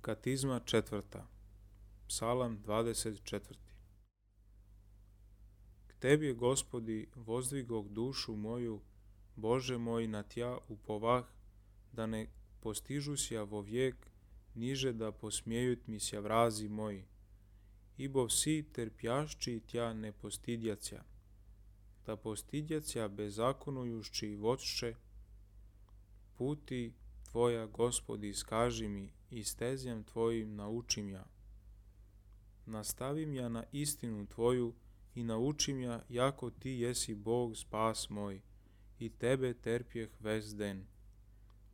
Katizma 4. Psalam 24. K Tebi, Gospodi, vozdvigog dušu moju, Bože moj, na Tja upovah, da ne postižusja vo vijek, niže da posmijejut mi sja vrazi moji. Ibo vsi terpjašći Tja ne postidjacija, da postidjacija bezakonujušći vodše, puti Tvoja, Gospodi, iskaži mi i stezjam Tvojim naučim ja. Nastavim ja na istinu Tvoju i naučim ja, jako Ti jesi Bog spas moj, i Tebe terpjeh ves den.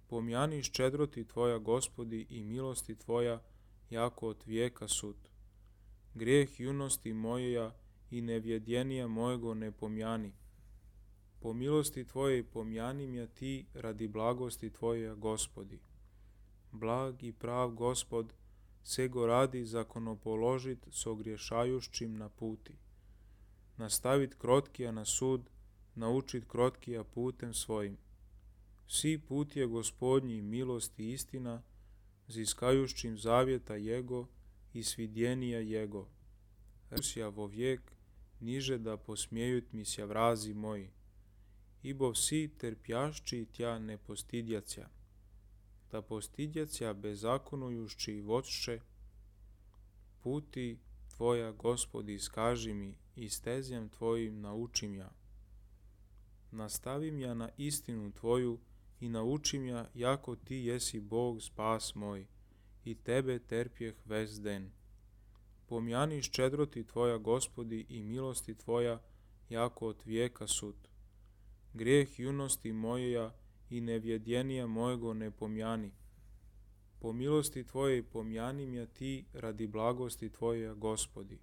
Pomjani ščedroti Tvoja, Gospodi, i milosti Tvoja, jako od vijeka sud. Grijeh junosti mojeja i nevjedjenija mojego ne pomjani. Po milosti Tvoje pomjanim ja Ti radi blagosti Tvoje, Gospodi. Blag i prav Gospod, sego radi zakonopoložit s ogriješajušćim na puti. Nastavit krotkija na sud, naučit krotkija putem svojim. Svi put je Gospodnji milost i istina, ziskajušćim zavjeta Jego i svidjenija Jego. Rusija vo vijek, niže da posmijejut mi sja vrazi moji. Ibo vsi terpjašći Tja ne postidjacija, da postidjacija bezakonujušći vodše, puti Tvoja, Gospodi, iskaži mi i stezjam Tvojim naučim ja. Nastavim ja na istinu Tvoju i naučim ja, jako Ti jesi Bog spas moj, i Tebe terpjeh ves den. Pomjani ščedroti Tvoja, Gospodi, i milosti Tvoja, jako od vijeka sud. Grijeh junosti mojeja i nevjedjenija mojego ne pomjani. Po milosti Tvoje pomjanim ja Ti radi blagosti Tvoje, Gospodi.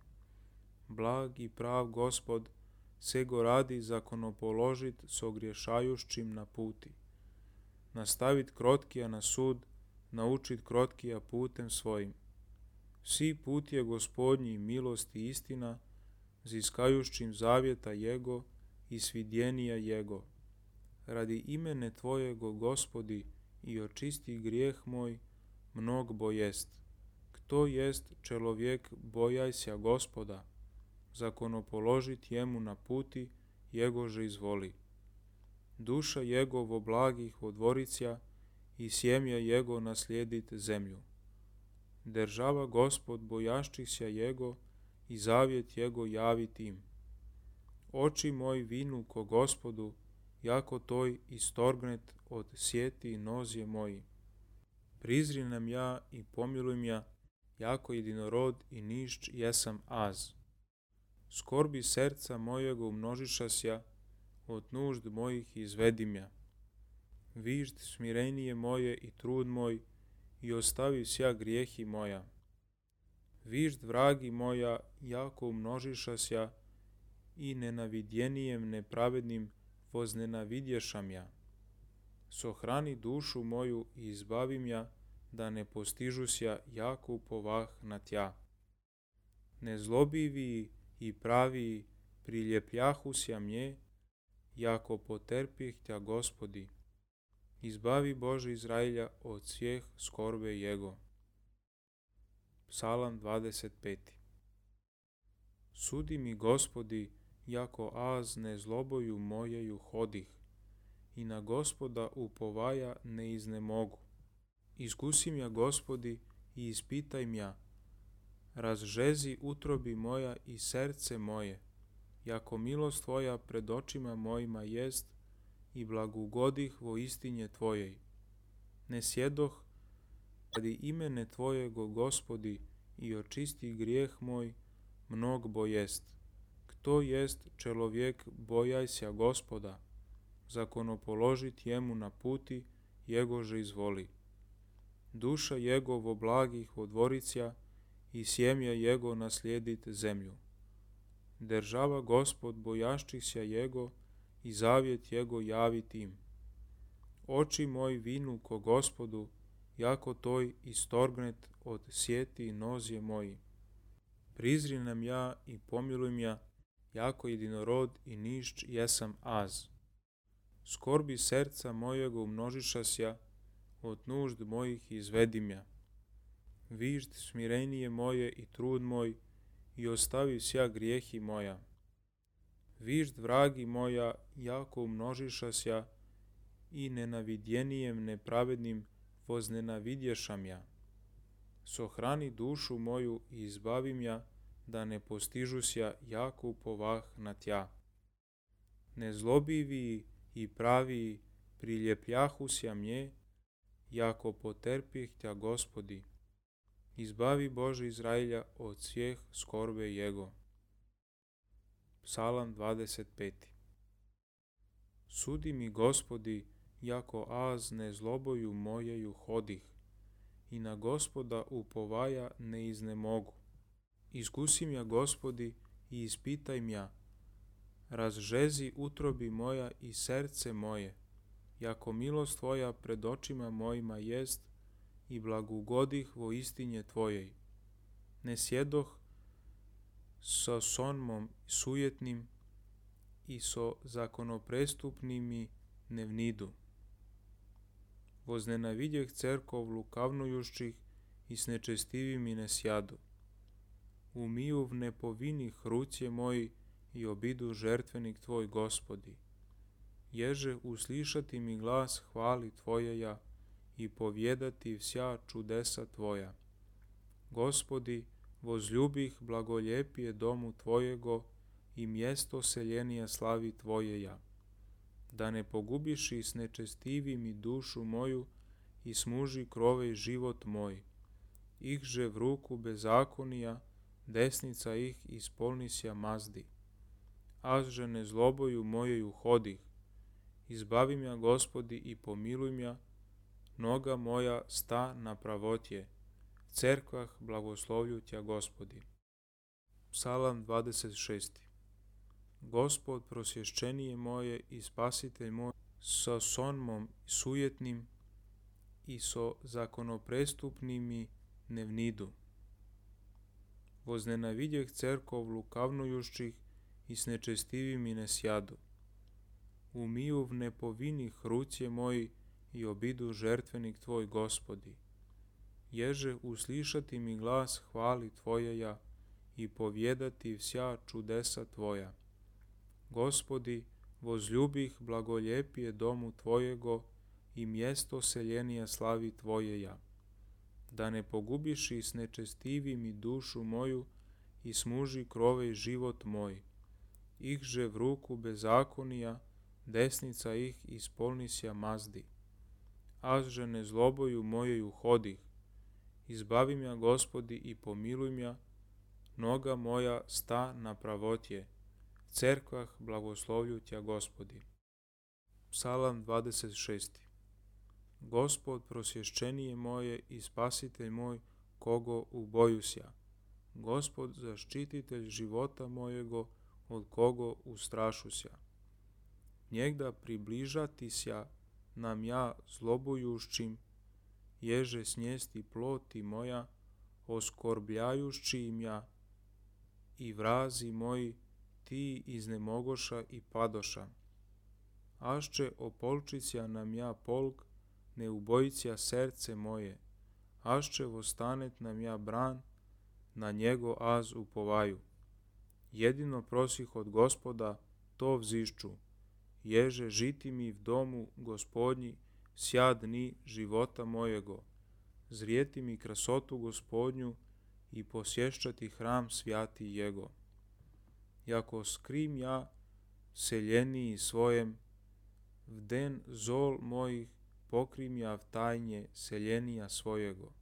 Blag i prav Gospod, sego radi zakonopoložit s ogriješajušćim na puti. Nastavit krotkija na sud, naučit krotkija putem svojim. Svi put je Gospodnji milost i istina, ziskajušćim zavjeta Jego i svidjenija Jego. Radi imene Tvojego, Gospodi, i očisti grijeh moj, mnogo jest. Kto jest čelovjek bojajsja Gospoda, zakonopoložit jemu na puti, Jegože izvoli. Duša Jegovo blagih odvoricija i sjemja Jego naslijedit zemlju. Država Gospod bojašćihsja Jego i zavjet Jego javit im. Oči moj vinu ko Gospodu, jako toj istorgnet od sjeti nozje moji. Prizrinem ja i pomilujem ja, jako jedinorod i nišć jesam az. Skorbi srca mojega umnožišasja, od nužd mojih izvedim ja. Vižd smirenije moje i trud moj, i ostavi sja grijehi moja. Vižd vragi moja, jako umnožišasja, i nenavidjenijem nepravednim voznenavidješam ja. Sohrani dušu moju i izbavim ja, da ne postižusja jako upovah na Tja. Nezlobiviji i praviji priljepljahusja mnje, jako poterpih Tja, Gospodi. Izbavi Bože Izrailja od svijeh skorbe Jego. Psalam 25. Sudi mi, Gospodi, jako az nezloboju mojeju hodih, i na Gospoda upovaja ne iznemogu. Iskusim ja, Gospodi, i ispitaj mja. Razžezi utrobi moja i srce moje, jako milost Tvoja pred očima mojima jest, i blagugodih vo istinje Tvojej. Ne sjedoh radi imene Tvojego, Gospodi, i očisti grijeh moj, mnogo jest. Kto jest čelovjek bojajsja Gospoda, zakonopoložit jemu na puti, Jegože izvoli. Duša Jegovo blagih odvoricija i sjemja Jego naslijedit zemlju. Država Gospod bojašćihsja Jego i zavjet Jego javit im. Oči moj vinu ko Gospodu, jako toj istorgnet od sjeti nozje moji. Prizrinem ja i pomilujem ja, jako jedinorod i nišć jesam az. Skorbi srca mojega umnožišasja, od nužd mojih izvedim ja. vižd smirenije moje i trud moj, i ostavi sja grijehi moja. Vižd vragi moja, jako umnožišasja, i nenavidjenijem nepravednim voznenavidješam ja. Sohrani dušu moju i izbavim ja, da ne postižusja jako upovah na tja. Nezlobiviji i praviji priljepljahusja mnje, jako poterpjeh tja Gospodi. Izbavi Bože Izrailja od svijeh skorbe jego. Psalam 25. Sudi mi, Gospodi, jako az nezloboju mojeju hodih, i na Gospoda upovaja ne iznemogu. Iskusim ja, Gospodi, i ispitaj mja, razžezi utrobi moja i srce moje, jako milost Tvoja pred očima mojima jest, i blagugodih vo istinje Tvojej. Ne sjedoh sa sonmom sujetnim i so zakonoprestupnimi ne vnidu. Voznenavidjeh cerkov lukavnujušćih i s nečestivimi ne sjadu. Umiju v nepovinih rucije moji i obidu žertvenik Tvoj, Gospodi. Ježe uslišati mi glas hvali Tvojeja i povjedati vsja čudesa Tvoja. Gospodi, vozljubih blagoljepije domu Tvojego i mjesto seljenija slavi Tvojeja. Da ne pogubiši s nečestivimi dušu moju i smuži krovej život moj. Ihže v ruku bezakonija, desnica ih ispolnisja mazdi. Azže ne zloboju mojeju hodih. Izbavim ja, Gospodi, i pomiluj mja, noga moja sta na pravotje. Cerkvah blagoslovlju tja, Gospodi. Psalam 26. Gospod, prosješćenije moje i spasitelj moj, sa sonmom sujetnim i so zakonoprestupnimi ne vnidu. Voznenavidjeh cerkov lukavnujušćih i s nečestivimi ne sjadu. Umiju v nepovinih rucije moji i obidu žertvenik Tvoj, Gospodi. Ježe uslišati mi glas hvali Tvojeja i povjedati vsja čudesa Tvoja. Gospodi, vozljubih blagoljepije domu Tvojego i mjesto seljenija slavi Tvojeja. Da ne pogubiši s nečestivimi dušu moju i smuži krovej život moj. Ihže v ruku bezakonija, desnica ih ispolnisja mazdi. Azže ne zloboju mojeju hodih. Izbavim ja, Gospodi, i pomiluj mja, noga moja sta na pravotje. Cerkvah blagoslovlju tja, Gospodi. Psalam 26. Gospod, prosješćenije moje i spasitelj moj, kogo ubojusja. Gospod, zaštititelj života mojego, od kogo ustrašusja. Njegda približatisja nam ja zlobujušćim, ježe snijesti ploti moja, oskorbljajušći im ja, i vrazi moji ti iznemogoša i padoša. Ašće opolčicija nam ja polk, ne ubojicija srce moje, ašće vostanet nam ja bran, na njego az upovaju. Jedino prosih od Gospoda, to vzišću, ježe žiti mi v domu Gospodnji sja dni života mojego, zrijeti mi krasotu Gospodnju i posješćati hram svjati jego. Jako skrim ja seljeniji svojem, v den zol mojih pokrim ja v tajnje seljenija svojego.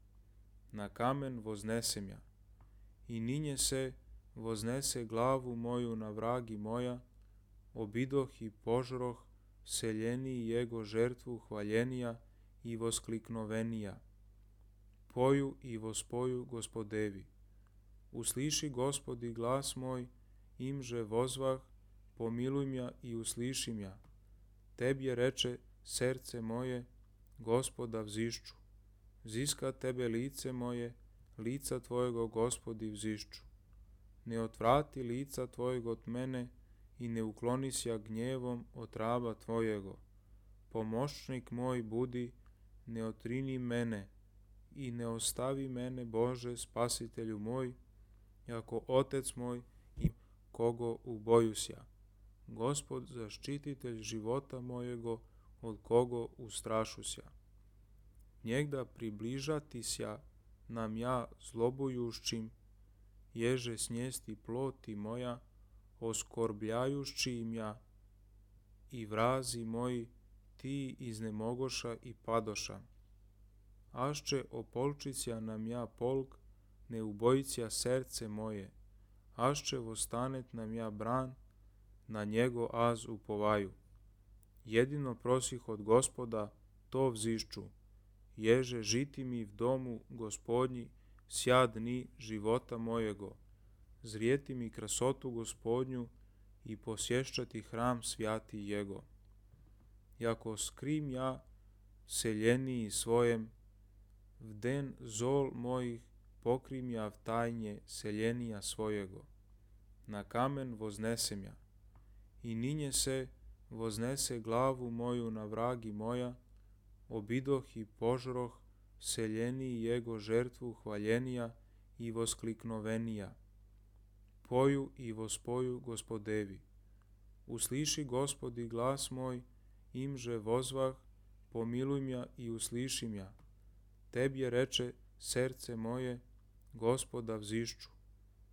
Na kamen voznesem ja, i ninje se voznese glavu moju na vragi moja, obidoh i požroh seljeniji jego žertvu hvaljenija i voskliknovenija. Poju i vospoju Gospodevi. Usliši, Gospodi, glas moj, imže vozvah, pomiluj mja i usliši mja. Tebje reče srce moje, Gospoda vzišću. Ziska tebe lice moje, lica Tvojego, Gospodi, vzišću. Ne otvrati lica Tvojeg od mene i ne uklonisja gnjevom od raba Tvojego. Pomoćnik moj budi, ne otrini mene, i ne ostavi mene, Bože, spasitelju moj, jako Otec moj i kogo ubojusja. Gospod, zaštititelj života mojego, od kogo ustrašusja. Njegda približatisja nam ja zlobujušćim, ježe snijesti ploti moja, oskorbljajušći im ja, i vrazi moji, ti iznemogoša i padoša. Ašće opolčića nam ja polk, ne ubojića srce moje, ašće vostanet nam ja bran, na njego az upovaju. Jedino prosih od Gospoda, to vzišću, ježe žiti mi v domu Gospodnji sja dni života mojego, zrijeti mi krasotu Gospodnju i posješćati hram svjati jego. Jako skrim ja seljeniji svojem, v den zol mojih pokrim ja v tajnje seljenija svojego. Na kamen voznesem ja, i ninje se voznese glavu moju na vragi moja, obidoh i požroh seljeniji jego žrtvu hvaljenija i voskliknovenija. Poju i vospoju Gospodevi. Usliši, Gospodi, glas moj, imže vozvah, pomiluj mja i usliši mja. Tebje reče srce moje, Gospoda vzišću.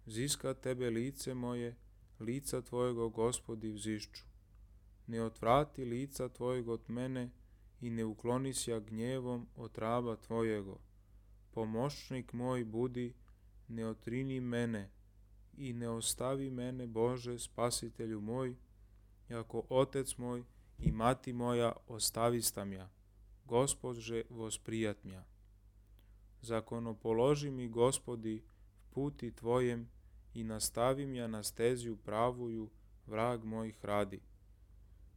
Ziska tebe lice moje, lica tvojego, Gospodi, vzišću. Ne otvrati lica tvojeg od mene i ne uklonisja gnjevom od raba tvojego. Pomoćnik moj budi, ne otrini mene i ne ostavi mene, Bože, spasitelju moj, jako Otec moj i mati moja ostavista mja, Gospodže vosprijat mja. Zakonopoloži mi, Gospodi, v puti tvojem i nastavi mja na stezju pravuju, vrag mojih radi.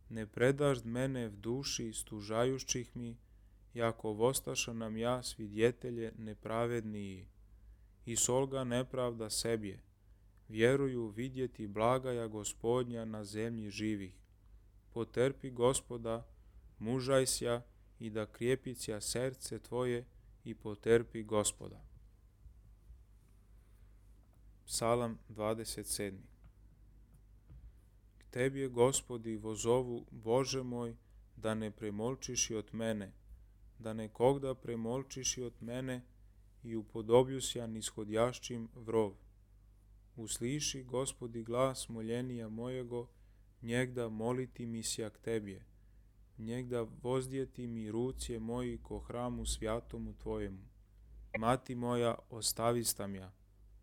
Ne predažd mene v duši stužajušćih mi, jako vostaša nam ja svidjetelje nepravedniji. I solga nepravda sebje, vjeruju vidjeti blagaja Gospodnja na zemlji živih. Poterpi, Gospoda, mužajsja i da krijepića srce tvoje i poterpi Gospoda. Psalam 27. K tebje, Gospodi, vozovu, Bože moj, da ne premolčiši od mene, da ne kogda premolčiši od mene i upodobljusja nishodjašćim vrov. Usliši, Gospodi, glas moljenija mojego, njegda moliti mi sja k tebje, njegda vozdjeti mi rucije moji ko hramu svjatomu tvojemu. Mati moja ostavista mja,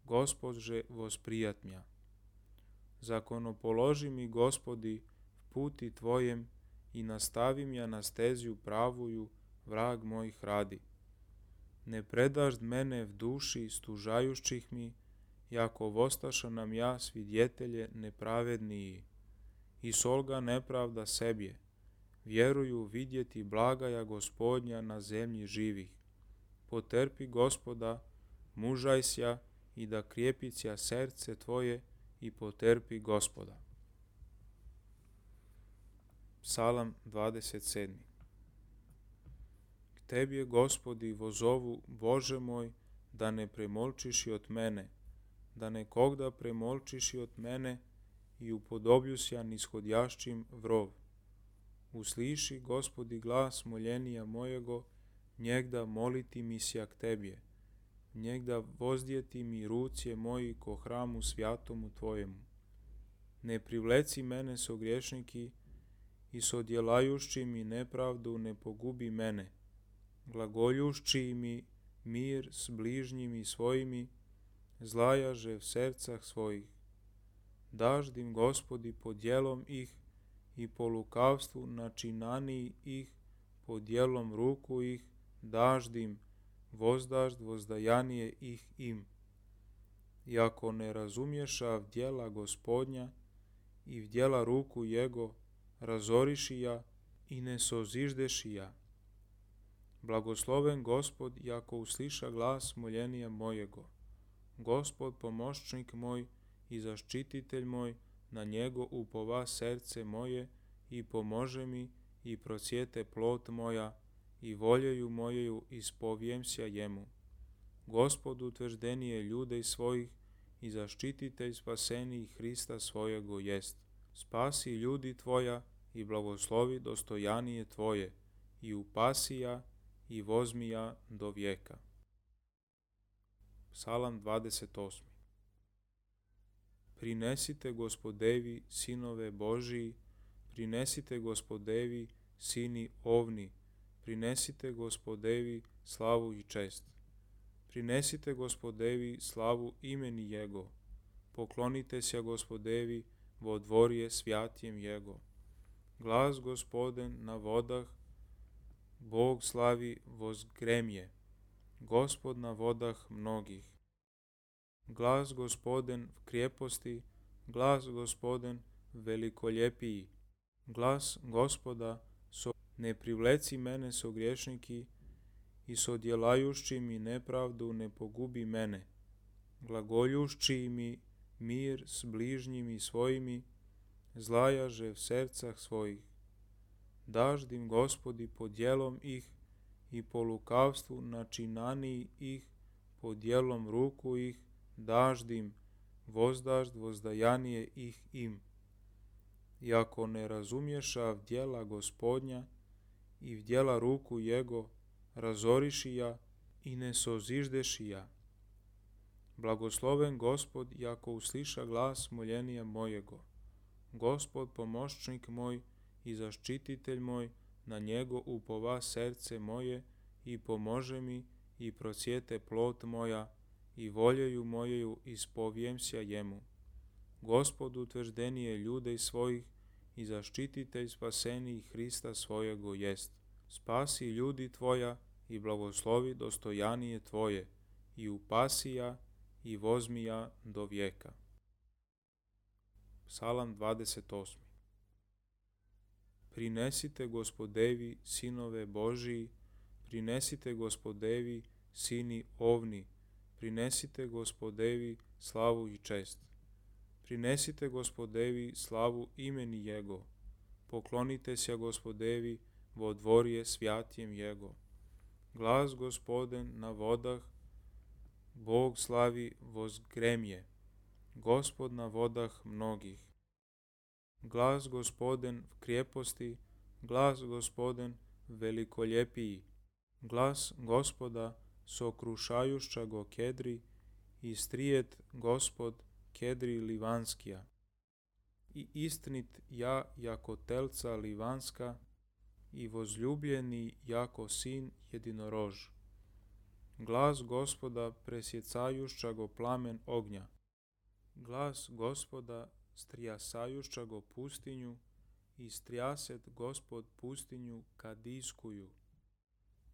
Gospodže vosprijat mja. Zakonopoloži mi, Gospodi, v puti tvojem i nastavi mja na stezju pravuju, vrag mojih radi. Ne predažd mene v duši stužajušćih mi, jako vostaša nam ja svidjetelje nepravedniji. I solga nepravda sebje, vjeruju vidjeti blagaja Gospodnja na zemlji živih. Poterpi, Gospoda, mužajsja i da krijepića srce tvoje i poterpi Gospoda. Psalam 27. K tebje, Gospodi, vozovu, Bože moj, da ne premolčiši od mene, da ne kogda premolčiši od mene i upodobljusja nishodjašćim vrov. Usliši, Gospodi, glas moljenija mojego, njegda moliti mi sja k tebje, njegda vozdjeti mi rucije moji ko hramu svjatomu tvojemu. Ne privleci mene so griješniki i sodjelajušći mi nepravdu ne pogubi mene, glagoljušći mi mir s bližnjimi svojimi, zlajaže v srcah svojih. Daždim, Gospodi, po djelom ih i po lukavstvu načinaniji ih, po djelom ruku ih, daždim, vozdažd vozdajanije ih im. I ako ne razumješa v djela Gospodnja i v djela ruku jego, razoriši ja i ne soziždeši ja. Blagosloven Gospod, jako usliša glas moljenija mojego. Gospod, pomoćnik moj i zaštititelj moj, na njego upova srce moje i pomože mi i procjete plot moja i voljeju mojeju ispovijemsja jemu. Gospod utvrđenije ljude svojih i zaštititelj spaseniji Hrista svojego jest. Spasi ljudi tvoja i blagoslovi dostojanije tvoje i upasija i vozmija do vijeka. Psalam 28. Prinesite Gospodevi sinove Božiji, prinesite Gospodevi sini ovni, prinesite Gospodevi slavu i čest. Prinesite Gospodevi slavu imeni Jego, poklonite se Gospodevi vo dvorje svjatjem Jego. Glas Gospoden na vodah, Bog slavi vozgremje, Gospod na vodah mnogih. Glas Gospoden v kreposti, glas Gospoden velikoljepiji, glas Gospoda ne privleci mene so griješniki i sodjelajušći mi nepravdu ne pogubi mene, glagoljušći mi mir s bližnjimi svojimi, zlajaže v sercah svojih. Daždim Gospodi po djelom ih i po lukavstvu načinaniji ih, po djelom ruku ih, daždim, vozdažd vozdajanije ih im. I ako ne razumješa v djela Gospodnja i v djela ruku Jego, razoriši ja i ne soziždeši ja. Blagosloven Gospod, jako usliša glas moljenija mojego. Gospod pomoćnik moj i zaštititelj moj, na njego upova srce moje i pomože mi i procjete plot moja i voljeju mojeju ispovijemsja jemu. Gospod utvrđenije ljude svojih i zaštititelj spaseniji Hrista svojego jest. Spasi ljudi tvoja i blagoslovi dostojanije tvoje i upasija i vozmija do vijeka. Psalam 28. Prinesite Gospodevi sinove Božiji, prinesite Gospodevi sini ovni, prinesite Gospodevi slavu i čest. Prinesite Gospodevi slavu imeni Jego, poklonite se Gospodevi vo dvorje svjatjem Jego. Glas Gospoden na vodah, Bog slavi vozgremje, Gospod na vodah mnogih. Glas Gospoden v kreposti, glas Gospoden velikoljepiji, glas Gospoda sokrušajušća go kedri i strijet Gospod kedri livanskija. I istinit ja jako telca livanska i vozljubljeni jako sin jedinorož. Glas Gospoda presjecajušća go plamen ognja, glas Gospoda strijasajušća go pustinju i strijaset Gospod pustinju kadijskuju.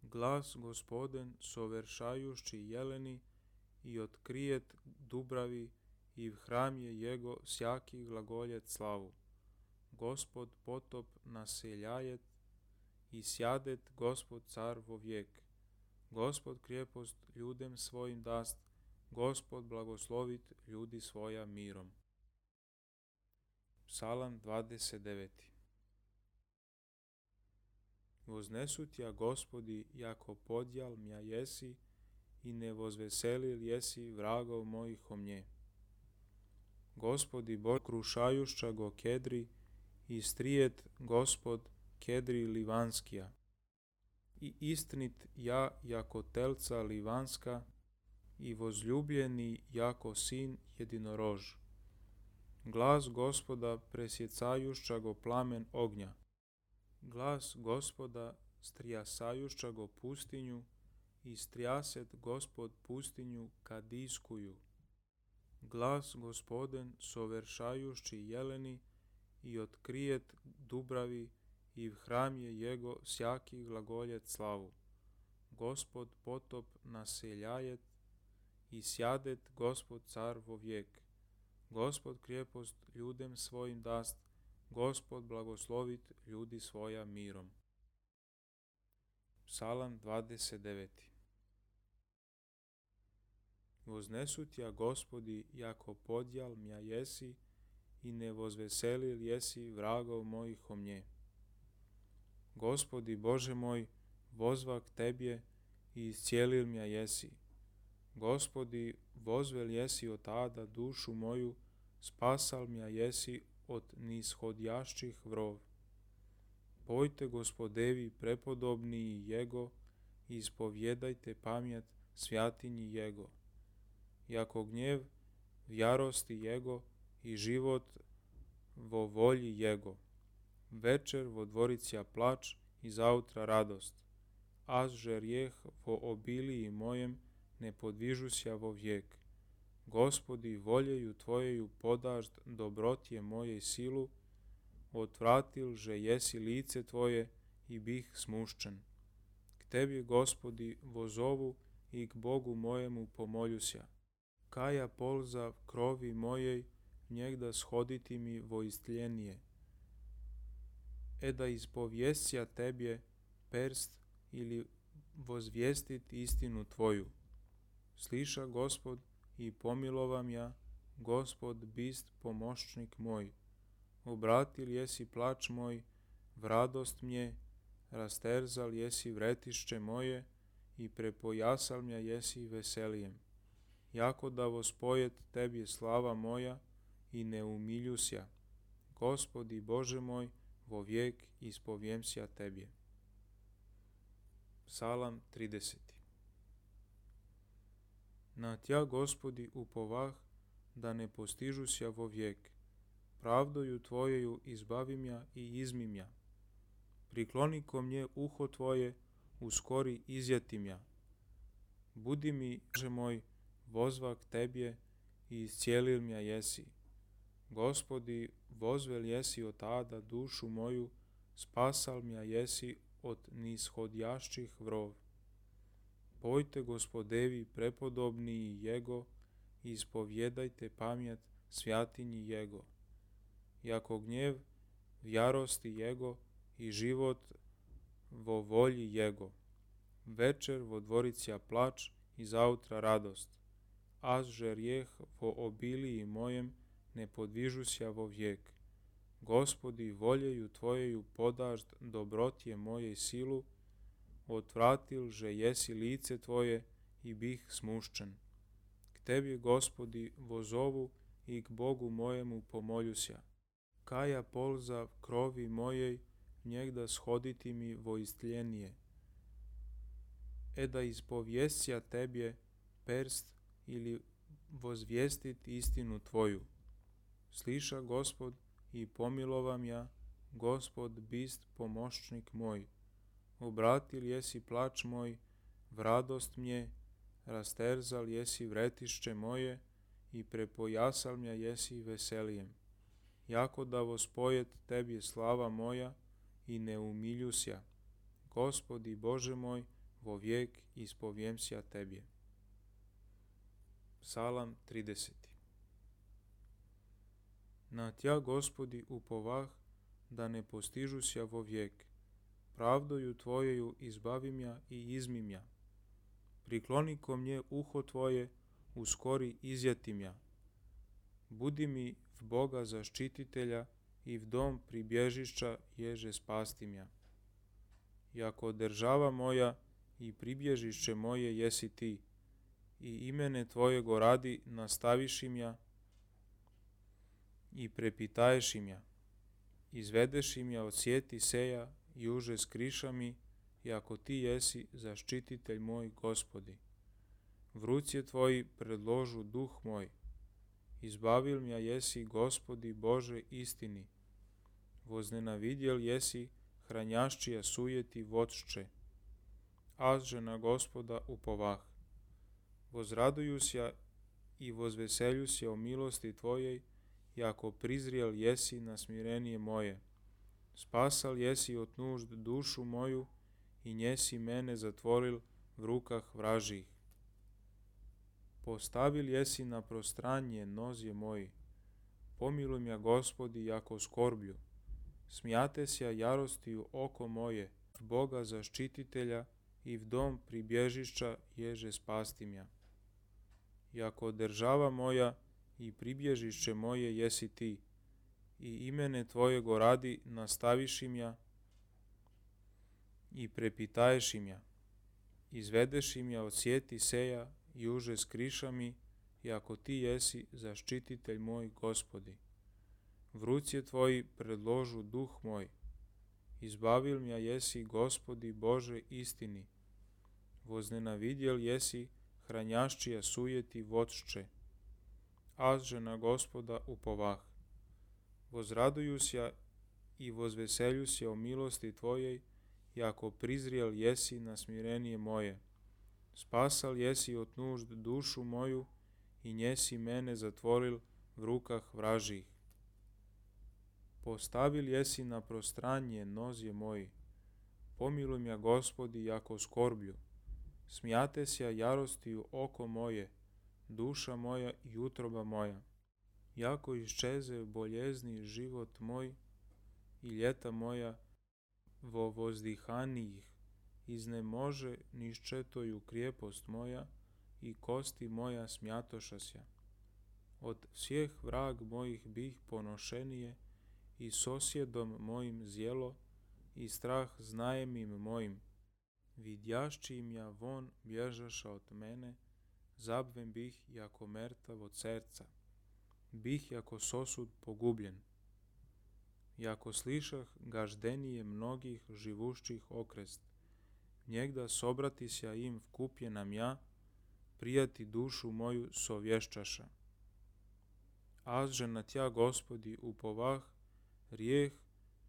Glas Gospoden soveršajušći jeleni i otkrijet dubravi i v hram je Jego sjaki glagoljet slavu. Gospod potop naseljajet i sjadet Gospod car vo vijek. Gospod krijepost ljudem svojim dast, Gospod blagoslovit ljudi svoja mirom. Psalam 29. Voznesu tja Gospodi, jako podjal mja jesi i ne vozveselil jesi vragov mojih o mnje. Gospodi Bož krušajušća go kedri i strijet Gospod kedri livanskija. I istinit ja jako telca livanska i vozljubljeni jako sin jedinorož. Glas Gospoda presjecajušća go plamen ognja, glas Gospoda strijasajušća go pustinju i strijaset Gospod pustinju kadijskuju. Glas Gospoden soveršajušći jeleni i otkrijet dubravi i v hram je Jego sjaki glagoljet slavu. Gospod potop naseljajet i sjadet Gospod car vo vijek. Gospod krijepost ljudem svojim dast, Gospod blagoslovit ljudi svoja mirom. Psalam 29. Voznesu tja Gospodi, jako podjal mja jesi i ne vozveselil jesi vragov mojih o mnje. Gospodi Bože moj, vozvak Tebje i iscijelil mja jesi. Gospodi, vozvel jesi od tada dušu moju, spasal mja jesi od nishodjašćih vrov. Pojte Gospodevi prepodobniji Jego i ispovjedajte pamjet svjatinji Jego. Jako gnjev v jarosti Jego i život vo volji Jego. Večer vo dvoricija plač i zautra radost. Az žerjeh vo obiliji mojem ne podvižusja vo vijek. Gospodi, voljeju Tvojeju podažd dobrotje moje silu, otvratil že jesi lice Tvoje i bih smuščen. K Tebi, Gospodi, vozovu i k Bogu mojemu pomoljuся. Kaja polza krovi mojej, njegda shoditi mi vo istljenije. Da ispovjesća Tebje perst ili vozvijestit istinu Tvoju. Sliša Gospod i pomilovam ja, Gospod bist pomoćnik moj. Obratil jesi plač moj, v radost mje, rasterzal jesi vretišće moje i prepojasal mja jesi veselijem. Jako da vospojet Tebje slava moja i ne umiljusja. Gospodi Bože moj, vo vijek ispovjemsja Tebje. Psalam 30. Na Tja, Gospodi, upovah, da ne postižusja vo vijek. Pravdoju Tvojeju izbavim ja i izmim ja. Prikloni ko mnje uho Tvoje, uskori izjetim ja. Budi mi, Bože moj, vozvak Tebje i iscijelil mja jesi. Gospodi, vozvel jesi od tada dušu moju, spasal mja jesi od nishodjašćih vrov. Pojte Gospodevi prepodobniji Jego i ispovjedajte pamjet svjatinji Jego. Jako gnjev v jarosti Jego i život vo volji Jego. Večer vo dvoricija plač i zautra radost. Az žerjeh vo obiliji mojem ne podvižusja vo vijek. Gospodi, voljeju Tvojeju podažd dobrotje moje silu, otvratil že jesi lice Tvoje i bih smuščen. K Tebi, Gospodi, vozovu i k Bogu mojemu pomoljuся. Kaja polza krovi mojej, njegda shoditi mi vo istljenije. Da ispovjesća Tebje perst ili vozvijestit istinu Tvoju. Sliša Gospod i pomilovam ja, Gospod bist pomoćnik moj. Obratil jesi plač moj, v radost mje, rasterzal jesi vretišće moje i prepojasal mja jesi veselijem. Jako da vospojet Tebje slava moja i ne umiljusja. Gospodi Bože moj, vo vijek ispovjemsja Tebje. Psalam 30. Na Tja, Gospodi, upovah, da ne postižusja vo vijek. Pravdoju Tvojeju izbavim ja i izmim ja. Prikloni ko mnje uho Tvoje, uskori izjetim ja. Budi mi v Boga zaštititelja i v dom pribježišća ježe spastim ja. Jako država moja i pribježišće moje jesi Ti, i imene Tvojego radi nastavišim ja i prepitaješim ja. Izvedešim ja od sjeti seja i uže skriša mi, jako Ti jesi zaštititelj moj, Gospodi. V ruci Tvoji predložu duh moj. Izbavil mja jesi, Gospodi Bože, istini. Voznenavidjel jesi hranjaščija sujeti vodšće. Az že na Gospoda upovah. Vozradujusja i vozveseljusja o milosti Tvojej, jako prizrijel jesi na smirenije moje. Spasal jesi od nužd dušu moju i njesi mene zatvoril v rukah vražih. Postavil jesi na prostranje nozje moji. Pomiluj mja, Gospodi, jako skorblju. Smijate sja jarostiju oko moje, v Boga zaštititelja i v dom pribježišća ježe spastim ja. Jako država moja i pribježišće moje jesi Ti, i imene Tvojego radi nastavišim ja i prepitaješ im ja. Izvedeš im ja od sjeti seja i uže skriša mi, i ako ti jesi zaštititelj moj, Gospodi. V ruci tvoji predložu duh moj. Izbavil mja jesi, Gospodi Bože istini. Voznenavidjel jesi hranjaščija sujeti vodšče. Azže na Gospoda upovah. Vozradujusja i vozveseljusja o milosti tvojej, jako prizrijel jesi na smirenije moje. Spasal jesi od nužd dušu moju i njesi mene zatvoril v rukah vražih. Postavil jesi na prostranje nozje moji. Pomiluj mja, Gospodi, jako skorblju. Smijate sja jarostiju oko moje, duša moja i utroba moja. Jako iščeze boljezni život moj i ljeta moja vo vozdihanijih, iznemože niščetoju krijepost moja i kosti moja smjatošasja. Od svijeh vrag mojih bih ponošenije i sosjedom mojim zjelo i strah znajemim mojim. Vidjašći im ja von bježaša od mene, zabvem bih jako mertav od serca. Bih jako sosud pogubljen. Jako slišah gaždenije mnogih živušćih okrest, njegda sobratisja im vkupjenam ja, prijati dušu moju sovješćaša. Azže na tja, Gospodi, upovah, rijeh,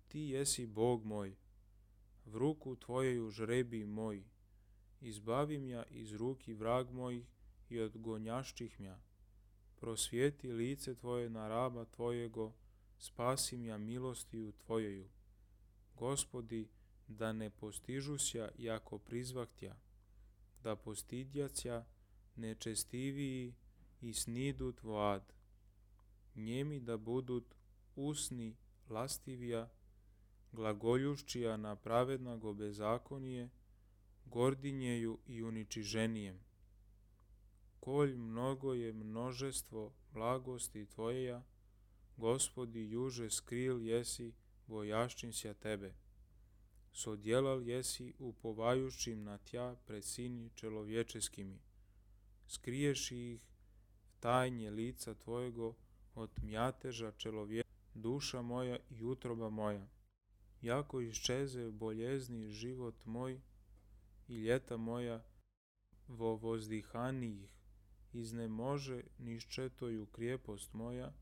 ti jesi Bog moj. V ruku tvojeju žrebi moj. Izbavim ja iz ruki vrag mojih i od gonjašćih mja. Prosvijeti lice tvoje na raba tvojego, spasim ja milostiju tvojeju. Gospodi, da ne postižusja jako prizvahtja, da postidjacja nečestiviji i snidut vlad. Njemi da budut usni lastivija, glagoljušćija na pravednago bezakonije, gordinjeju i uničiženijem. Kolj mnogo je množestvo blagosti tvojeja, Gospodi, juže skril jesi, bojašćinsja tebe. Sodjelal jesi upovajućim na tja pred sini čelovječeskimi. Skriješi ih v tajnje lica tvojego od mjateža duša moja i utroba moja. Jako iščeze boljezni život moj i ljeta moja vo vozdihanijih, iznemože niščetoju krijepost moja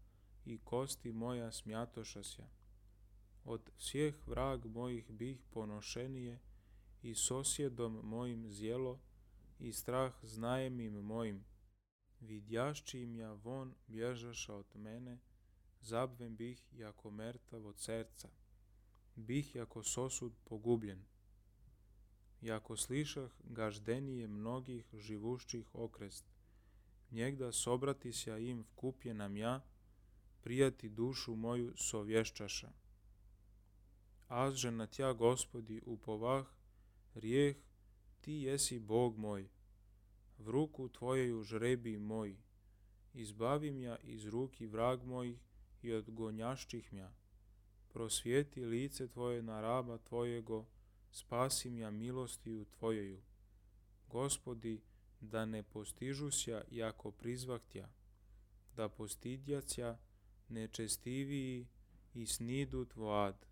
i kosti moja smjatošasja. Od svijeh vrag mojih bih ponošenije i sosjedom mojim zjelo i strah znajemim mojim. Vidjašći im ja von bježaša od mene, zabvem bih jako mertav od serca. Bih jako sosud pogubljen. Jako slišah gaždenije mnogih živušćih okrest, njegda sobratisja im vkupjenam ja, prijati dušu moju sovješćaša. Azže na tja, Gospodi, upovah, rijeh, ti jesi Bog moj. V ruku tvojeju žrebi moj. Izbavim ja iz ruki vrag mojih i od gonjašćih mja. Prosvijeti lice tvoje na raba tvojego, spasim ja milostiju tvojeju. Gospodi, da ne postižusja jako prizvahtja, da postidjacja nečestiviji i snidut vlad.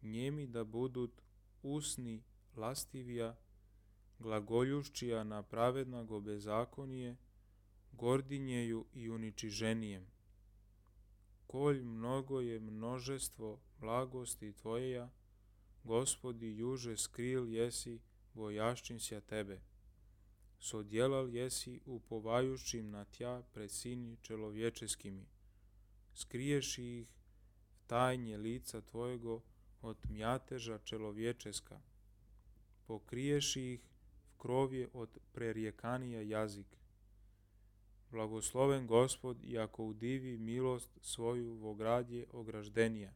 Njemi da budut usni lastivija, glagoljušćija na pravednago bezakonije, gordinjeju i uničiženijem. Kolj mnogo je množestvo blagosti tvojeja, Gospodi, juže skril jesi, bojašćinsja tebe. Sodjelal jesi upovajućim na tja pred sini čelovječeskimi. Skriješi ih v tajnje lica tvojego od mjateža čelovječeska. Pokriješi ih v krovje od prerijekanija jazik. Blagosloven Gospod, jako udivi milost svoju vo gradje ograždenija.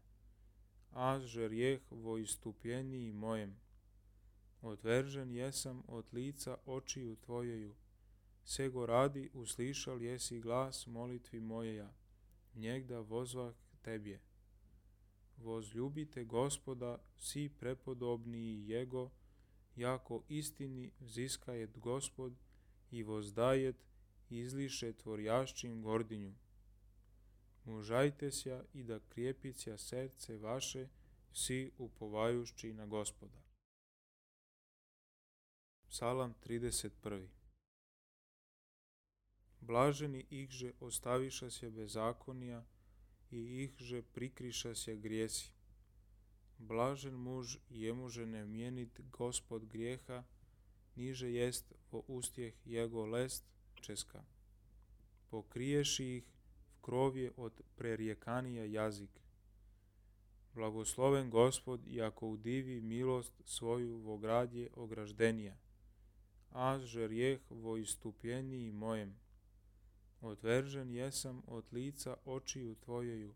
Azže rijeh vo istupljeniji mojem. Odveržen jesam od lica očiju tvojeju. Sego radi uslišal jesi glas molitvi mojeja. Njegda vozvah tebje. Возлюbite Gospoda, vsi prepodobniji Jego, jako istini взискает Gospod i воздаjet izliše tvorjašćim gordinju. Mužajte sja i da krijepića serce vaše, vsi upovajušći na Gospoda. Psalam 31. Blaženi ihže ostaviša se bezakonija i ihže prikriša se grijesi. Blažen muž jemuže ne mjenit Gospod grijeha, niže jest vo ustjeh jego lest česka. Pokriješi ih v krovje od prerijekanija jazik. Blagosloven Gospod, jako udivi milost svoju vo gradje ograždenija, a žerjeh vo istupljeniji mojem. Odveržen jesam od lica očiju tvojeju,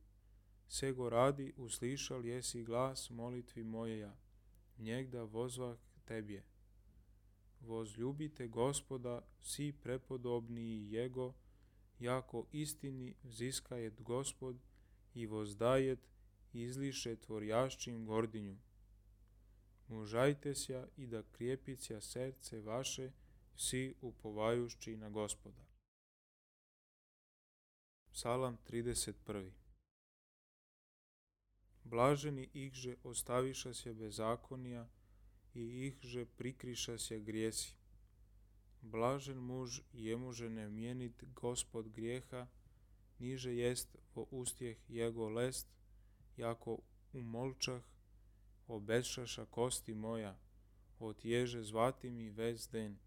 sego radi uslišal jesi glas molitvi mojeja, njegda vozvah tebje. Возлюbite Gospoda, vsi prepodobniji Jego, jako istini взискает Gospod i воздаjet izliše tvorjašćim gordinju. Mužajte sja i da krijepića serce vaše, vsi upovajušći na Gospoda. Psalam 31. Blaženi ihže ostaviša se bezakonija i ihže prikriša se grijesi. Blažen muž jemuže ne mjenit Gospod grijeha, niže jest vo ustjeh jego lest, jako umolčah, obešaša kosti moja, otježe zvati mi vez den.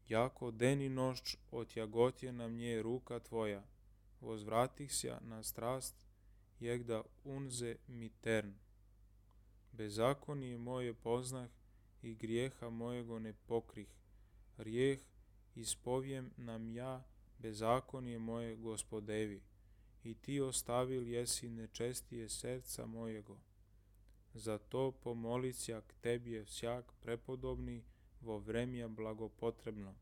Jako den i noć otjagotje na mnje ruka tvoja, vozvratih sja na strast, jegda unze mi tern. Bezakonije moje poznah i grijeha mojego ne pokrih, rijeh ispovjem nam ja bezakonije moje Gospodevi, i ti ostavil jesi nečestije serca mojego. Zato pomolit sja k tebje всяк prepodobni vo vremja blagopotrebno.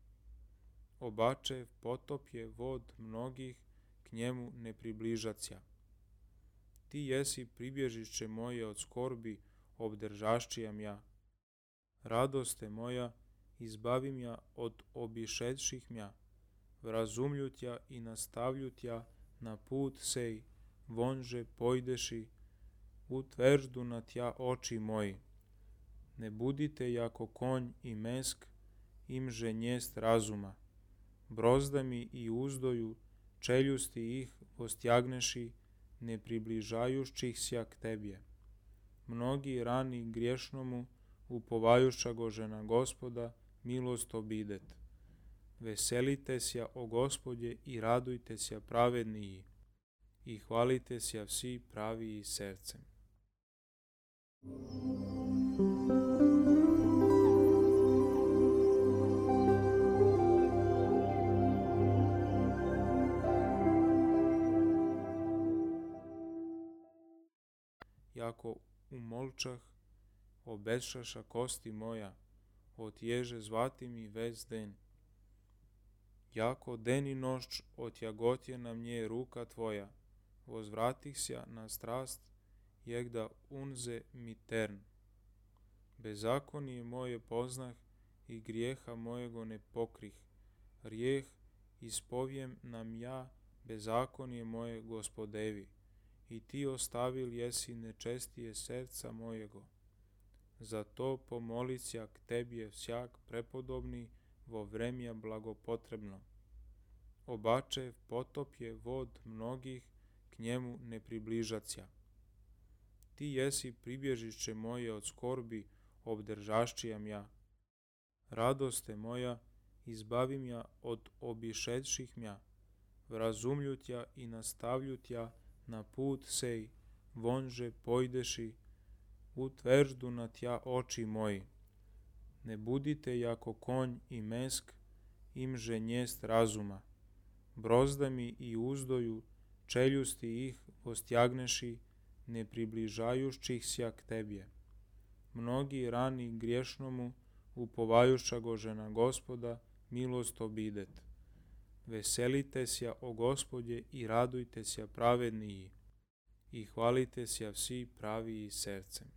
Obačev potop je vod mnogih, k njemu ne približacija. Ti jesi pribježišće moje od skorbi, obdržašćijam ja. Radoste moja, izbavim ja od obišedših mja, vrazumlju tja i nastavlju tja na put sej, vonže pojdeši, utveždu na tja oči moji. Ne budite jako konj i mesk, imže njest razuma. Brozdami i uzdoju, čeljusti ih ostjagneši, ne približajušćih sja k tebje. Mnogi rani griješnomu, upovajuša gože na Gospoda, milost obidet. Veselite sja o Gospodje i radujte sja pravedniji, i hvalite sja vsi praviji sercem. Jako umolčah, obešaša kosti moja, otježe zvati mi vez den. Jako den i noć otjagotje na mnje ruka tvoja, vozvratih sja na strast, jegda unze mi tern. Bezakonije moje poznah i grijeha mojego ne pokrih, rijeh ispovjem nam ja bezakonije moje Gospodevi, i ti ostavil jesi nečestije serca mojego. Zato pomolit sja k tebje всяк prepodobni vo vremja blagopotrebno. Obačev potop je vod mnogih, k njemu ne približacija. Ti jesi pribježišće moje od skorbi, obdržašćijam ja. Radoste moja, izbavim ja od obišedših mja, vrazumlju tja i nastavlju tja na put sej, vonže pojdeši, utveždu na tja oči moji. Ne budite jako konj i mesk, imže njest razuma. Brozdami i uzdoju, čeljusti ih ostjagneši, ne približajušćih sja k tebje. Mnogi rani griješnomu, upovajuša gože na Gospoda, milost obidet. Veselite sja o Gospodje i radujte sja pravedniji, i hvalite sja vsi pravi i sercem.